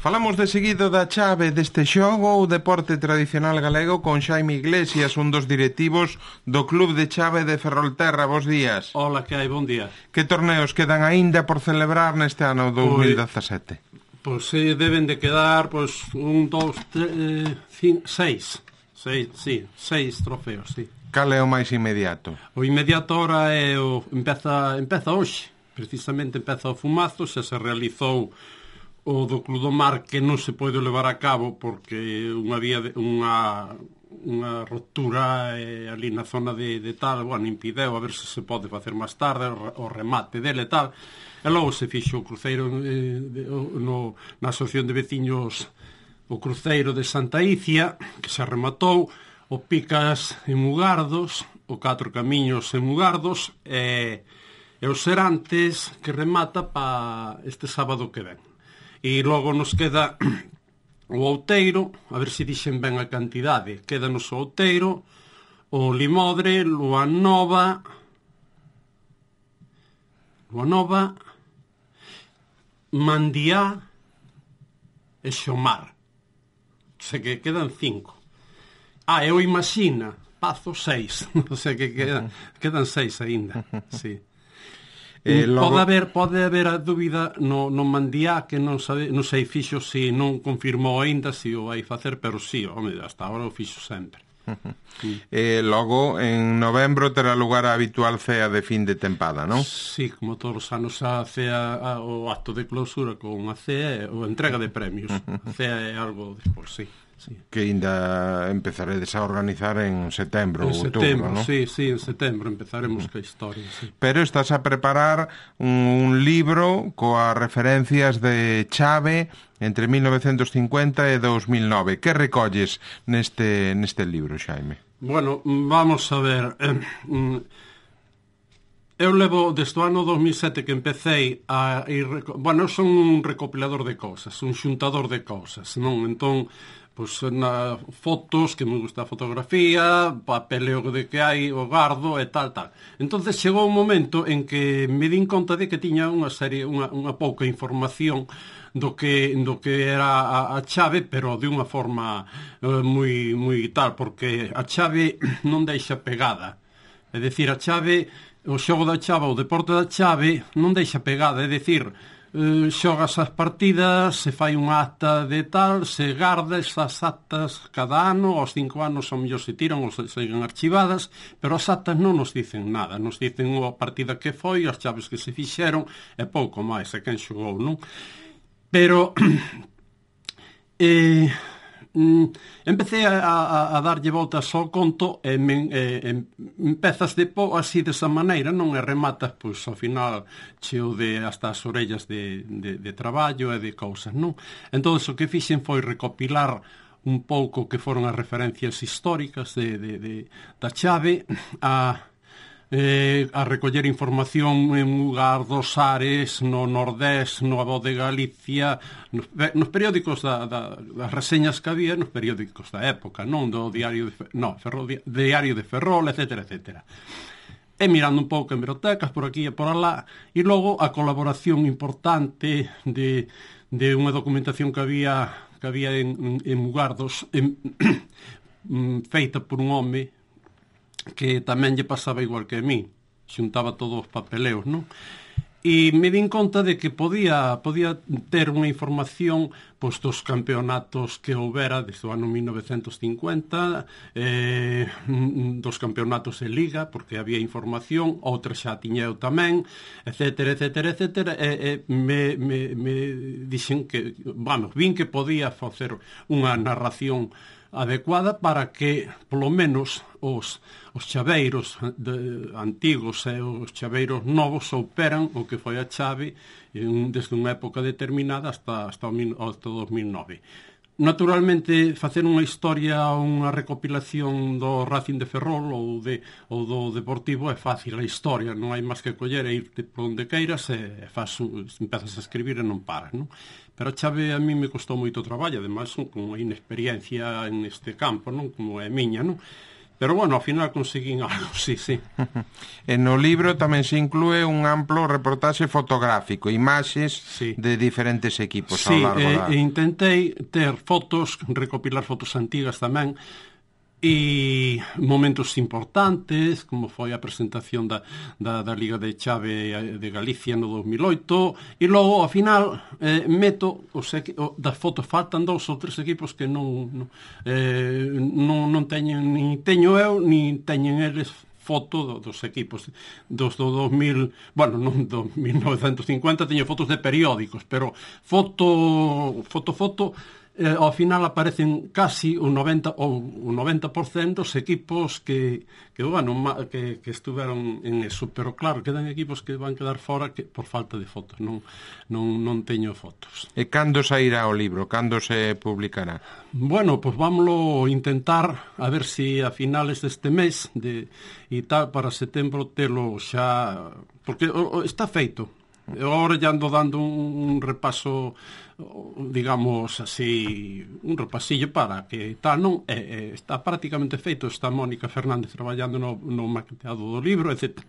Falamos de seguido da chave deste xogo, o deporte tradicional galego, con Xaime Iglesias, un dos directivos do Club de Chave de Ferrolterra. Bos días. Hola, que hai? Bon día. Que torneos quedan aínda por celebrar neste ano 2017? Pois deben de quedar, un, dous, seis trofeos, sí. Cal é o máis inmediato? O inmediato ahora é empeza hoxe, precisamente empeza o Fumazo, xa se realizou o do Club do Mar, que non se pode levar a cabo porque unha ruptura ali na zona de tal, impideu a ver se pode facer máis tarde o remate dele e tal, e logo se fixo o cruceiro na asociación de veciños, o cruceiro de Santa Icia, que se rematou, o Picas en Mugardos, o Catro Camiños en Mugardos, e os Serantes, que remata pa este sábado que ven. E logo nos queda o Outeiro, a ver se dixen ben a cantidade. Quédanos o Outeiro, o Limodre, Lua Nova, Mandiá e Xomar. O sea que quedan 5. E o Imaxina, Pazo 6. O sea que quedan 6 aínda, sí. Logo... Pode haber a dúbida no Mandiá, que non sei fixo se non confirmou aínda se o vai facer, pero sí, hasta agora o fixo sempre. Logo, en novembro terá lugar a habitual cea de fin de tempada, non? Sí, como todos os anos a cea, o acto de clausura con a cea ou entrega de premios. A cea é algo despois, sí. Sí. Que ainda empezaredes a organizar en setembro ou outubro, non? Sí, en setembro empezaremos ca historia, sí. Pero estás a preparar un libro coas referencias de chave entre 1950 e 2009. Que recolles neste libro, Xaime? Bueno, vamos a ver... Eu levo desde o ano 2007 que empecé a ir... Bueno, eu son un recopilador de cousas, un xuntador de cousas, non? Entón, na fotos, que me gusta a fotografía, papeleo de que hai, o gardo e tal. Entonces chegou un momento en que me din conta de que tiña unha pouca información do que era a chave, pero de unha forma moi tal, porque a chave non deixa pegada. É dicir, a chave... O xogo da chave, o deporte da chave, non deixa pegada, é dicir, xogas as partidas, se fai unha acta de tal, se garda esas actas cada ano, aos 5 anos ao mellor se tiran ou se seguen archivadas, pero as actas non nos dicen nada, nos dicen a partida que foi, as chaves que se fixeron, e pouco máis, e quen xogou, non? Pero... empecé a darlle voltas ao conto e empezas así desa maneira, non? E rematas, ao final cheo de hasta as orellas de traballo e de cousas, non? Entón, o que fixen foi recopilar un pouco que foron as referencias históricas da chave, a recoller información en Mugardos, Ares, no Nordés, no Abo de Galicia, nos periódicos das reseñas que había nos periódicos da época, non do diario de Ferrol, etc. E mirando un pouco en bibliotecas por aquí e por alá, e logo a colaboración importante de unha documentación que había en Mugardos, feita por un home que tamén lle pasaba igual que a mí, xuntaba todos os papeleos, non? E me din conta de que podía ter unha información dos campeonatos que houbera desde o ano 1950, dos campeonatos de liga, porque había información, outra xa tiña eu tamén, etc. E me dixen que, vin que podía facer unha narración adecuada para que, polo menos, os chaveiros antigos e os chaveiros novos souperan o que foi a chave desde unha época determinada hasta 2009. Naturalmente, facer unha historia, unha recopilación do Racing de Ferrol ou do Deportivo é fácil, a historia, non hai máis que coller e ir por onde queiras e empezas a escribir e non paras, non? Pero a chave a mí me costou moito traballo, ademais con unha inexperiencia en este campo, non? Como é miña, non? Pero bueno, ao final conseguín algo, sí. E no libro tamén se inclúe un amplo reportaxe fotográfico, imaxes de diferentes equipos ao largo da... Sí, intentei ter fotos, recopilar fotos antigas tamén, e momentos importantes, como foi a presentación da Liga de Chave de Galicia no 2008, e logo, ao final, meto das fotos, faltan 2 ou 3 equipos que non teñen, nin teño eu, nin teñen eles foto dos equipos dos do 2000, bueno, non do 1950, teño fotos de periódicos, pero foto ao final aparecen casi o 90% dos equipos que estuveron en eso, pero claro, quedan equipos que van quedar fora por falta de fotos, non teño fotos. E cando sairá o libro? Cando se publicará? Bueno, pues vámoslo intentar a ver si a finales deste mes e tal, para setembro telo xa, porque está feito. Agora ya ando dando un repaso, digamos así, un repasillo para que tal, non? Está prácticamente feito, está Mónica Fernández traballando no maqueteado do libro, etc.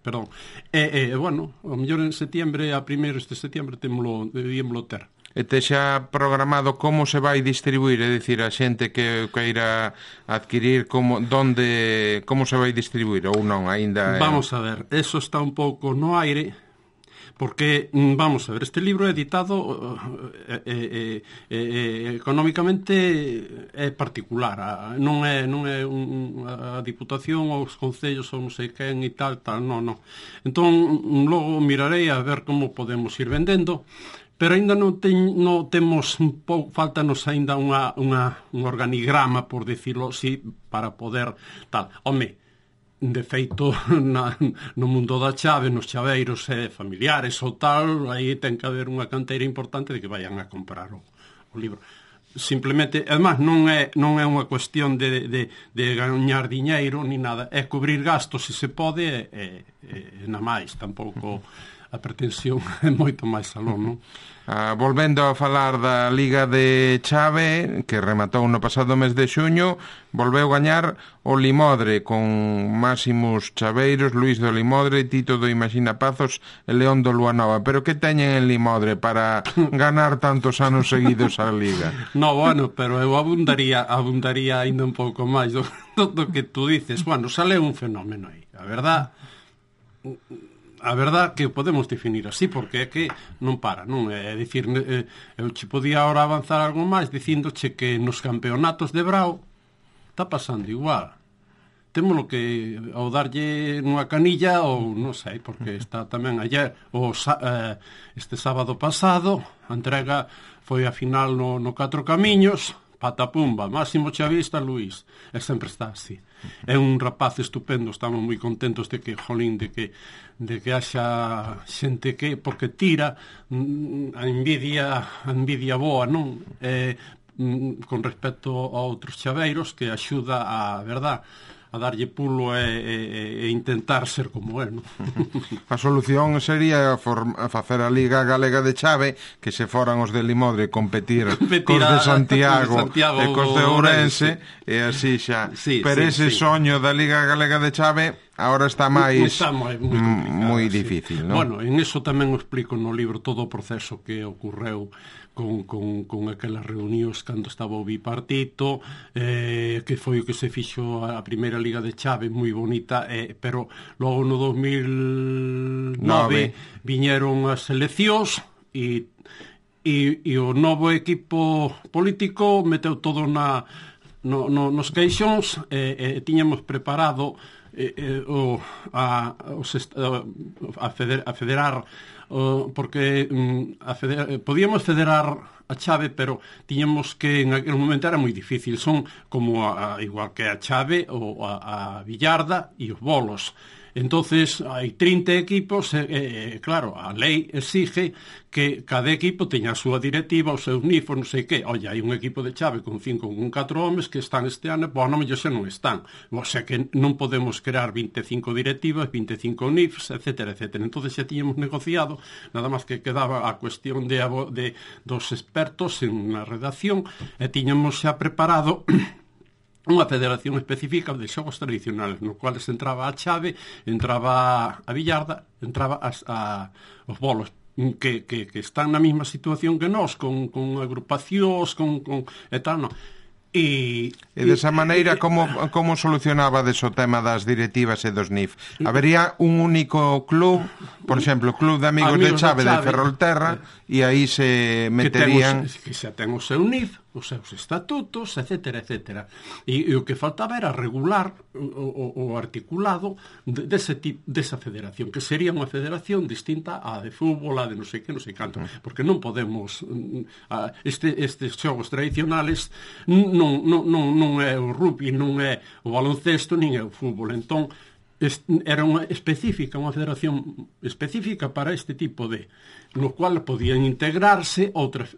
Perdón. Bueno, ao mellor en setembro, a primeiros de setembro debíamolo ter. E te xa programado como se vai distribuir, é dicir, a xente que queira adquirir, como se vai distribuir ou non, aínda... Vamos a ver, eso está un pouco no aire, porque, vamos a ver, este libro é editado económicamente é particular, non é a Diputación ou os concellos ou non sei quen e tal, non. Entón, logo mirarei a ver como podemos ir vendendo, pero ainda non temos faltanos ainda un organigrama, por decirlo así, para poder tal. Home, de feito, no mundo da chave, nos chaveiros familiares ou tal, aí ten que haber unha canteira importante de que vayan a comprar o libro. Simplemente, además, non é unha cuestión de gañar diñeiro ni nada, é cubrir gastos se se pode, na máis, tampouco a pretensión é moito máis aló, non? Volvendo a falar da Liga de Chave, que rematou no pasado mes de xuño, volveu gañar o Limodre con máximos chaveiros, Luís do Limodre, Tito do Imaxina Pazos e León do Luanova. Pero que teñen en Limodre para ganar tantos anos seguidos a Liga? No, bueno, pero eu abundaría ainda un pouco máis do que tú dices. Bueno, sale un fenómeno aí. A verdad que podemos definir así, porque é que non para, non? É dicir, eu che podía ahora avanzar algo máis dicíndoche que nos campeonatos de Brao está pasando igual. Témolo que ao darlle nunha canilla ou non sei, porque está tamén ayer este sábado pasado a entrega foi a final no 4 Camiños, patapumba, máximo chavista Luís, e sempre está así. É un rapaz estupendo, estamos moi contentos de que, jolín, de que haxa xente que, porque tira a envidia boa, non? Con respecto a outros chaveiros, que axuda a verdad a darlle pulo e intentar ser como él, non? A solución sería facer a Liga Galega de Chave, que se foran os de Limodre competir cos de Santiago e cos de Ourense, e así xa. Pero ese soño da Liga Galega de Chave agora está moi difícil, non? Bueno, en eso tamén o explico no libro todo o proceso que ocorreu con aquelas reunións cando estaba o bipartito, que foi o que se fixo a primeira Liga de Chave, moi bonita, pero logo no 2009 viñeron as eleccións e o novo equipo político meteu todo nos queixóns, e tiñamos preparado a federar, porque podíamos federar a chave, pero tiñamos que en aquel momento era moi difícil, son como igual que a chave ou a billarda e os bolos. Entonces hai 30 equipos e claro, a lei exige que cada equipo teña a súa directiva, o seu NIF, non sei que. Oye, hai un equipo de chave con 4 homes que están este ano, pois non mellor xa non están. O sea que non podemos crear 25 directivas, 25 NIFs, etcétera, etcétera. Entonces xa tiñamos negociado, nada máis que quedaba a cuestión dos expertos en na redacción, e tiñamos xa preparado unha federación específica de xogos tradicionales, no cuales entraba a chave, entraba a billarda, entraba os bolos, que están na mesma situación que nós, con agrupacións, e tal, non. E desa maneira, como solucionabades o tema das directivas e dos NIF? Habería un único club, por exemplo, Club de Amigos de Chave de Ferrolterra, e aí se meterían... Que xa ten o seu NIF, os seus estatutos, etcétera, etcétera. E o que faltaba era regular o articulado desa federación, que sería unha federación distinta á de fútbol, á de non sei que, non sei canto, porque non podemos... Estes xogos tradicionales non é o rugby, non é o baloncesto, nin é o fútbol. Entón, era unha federación específica para este tipo de, no cual podían integrarse outras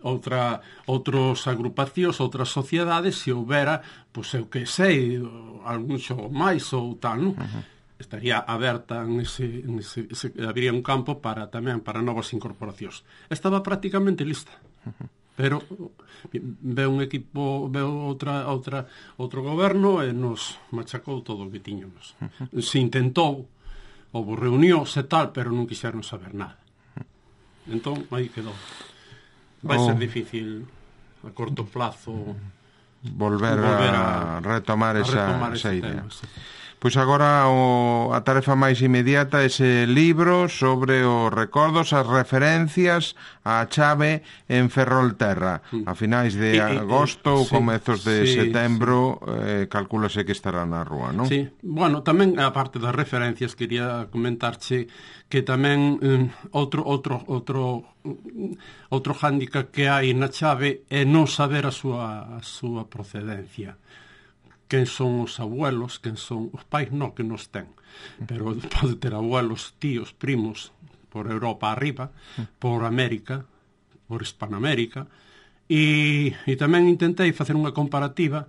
agrupacións, outras sociedades, se houbera, pois eu que sei, algún xogo máis ou tal, non? Estaría aberta habría un campo tamén para novas incorporacións. Estaba prácticamente lista. Pero veu un equipo, outro goberno e nos machacou todo o que tiñamos. Se intentou, houve reunións e tal, pero non quixeron saber nada. Entón, aí quedou. Vai ser difícil a corto plazo volver a retomar esa idea. Pois agora a tarefa máis inmediata é ese libro sobre os recordos, as referencias á chave en Ferrolterra. A finais de agosto ou comezos de setembro, calcúlase que estará na rúa, non? Sí, bueno, tamén a parte das referencias quería comentarche que tamén outro hándicap que hai na chave é non saber a súa procedencia. Quen son os abuelos, quen son os pais, non que nos ten, pero pode ter abuelos, tíos, primos por Europa arriba, por América, por Hispanoamérica, e tamén intentei facer unha comparativa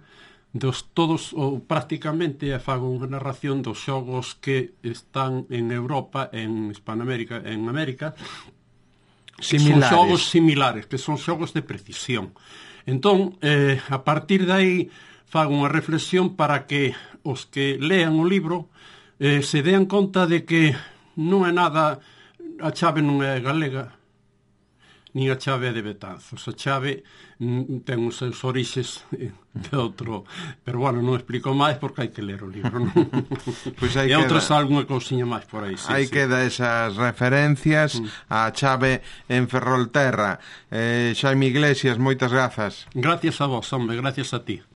dos todos, ou prácticamente fago unha narración dos xogos que están en Europa, en Hispanoamérica, en América, similares. Son xogos similares, que son xogos de precisión. Entón, a partir de aí fago unha reflexión para que os que lean o libro se dean conta de que non é nada, a chave non é galega, nin a chave é de Betanzos. A chave ten os seus orixes de outro, pero bueno, non explico máis porque hai que ler o libro, non? Pois e outras algunha cousiña máis por aí. Aí queda esas referencias á chave en Ferrolterra. Xaime Iglesias, moitas grazas. Gracias a vos, hombre, gracias a ti.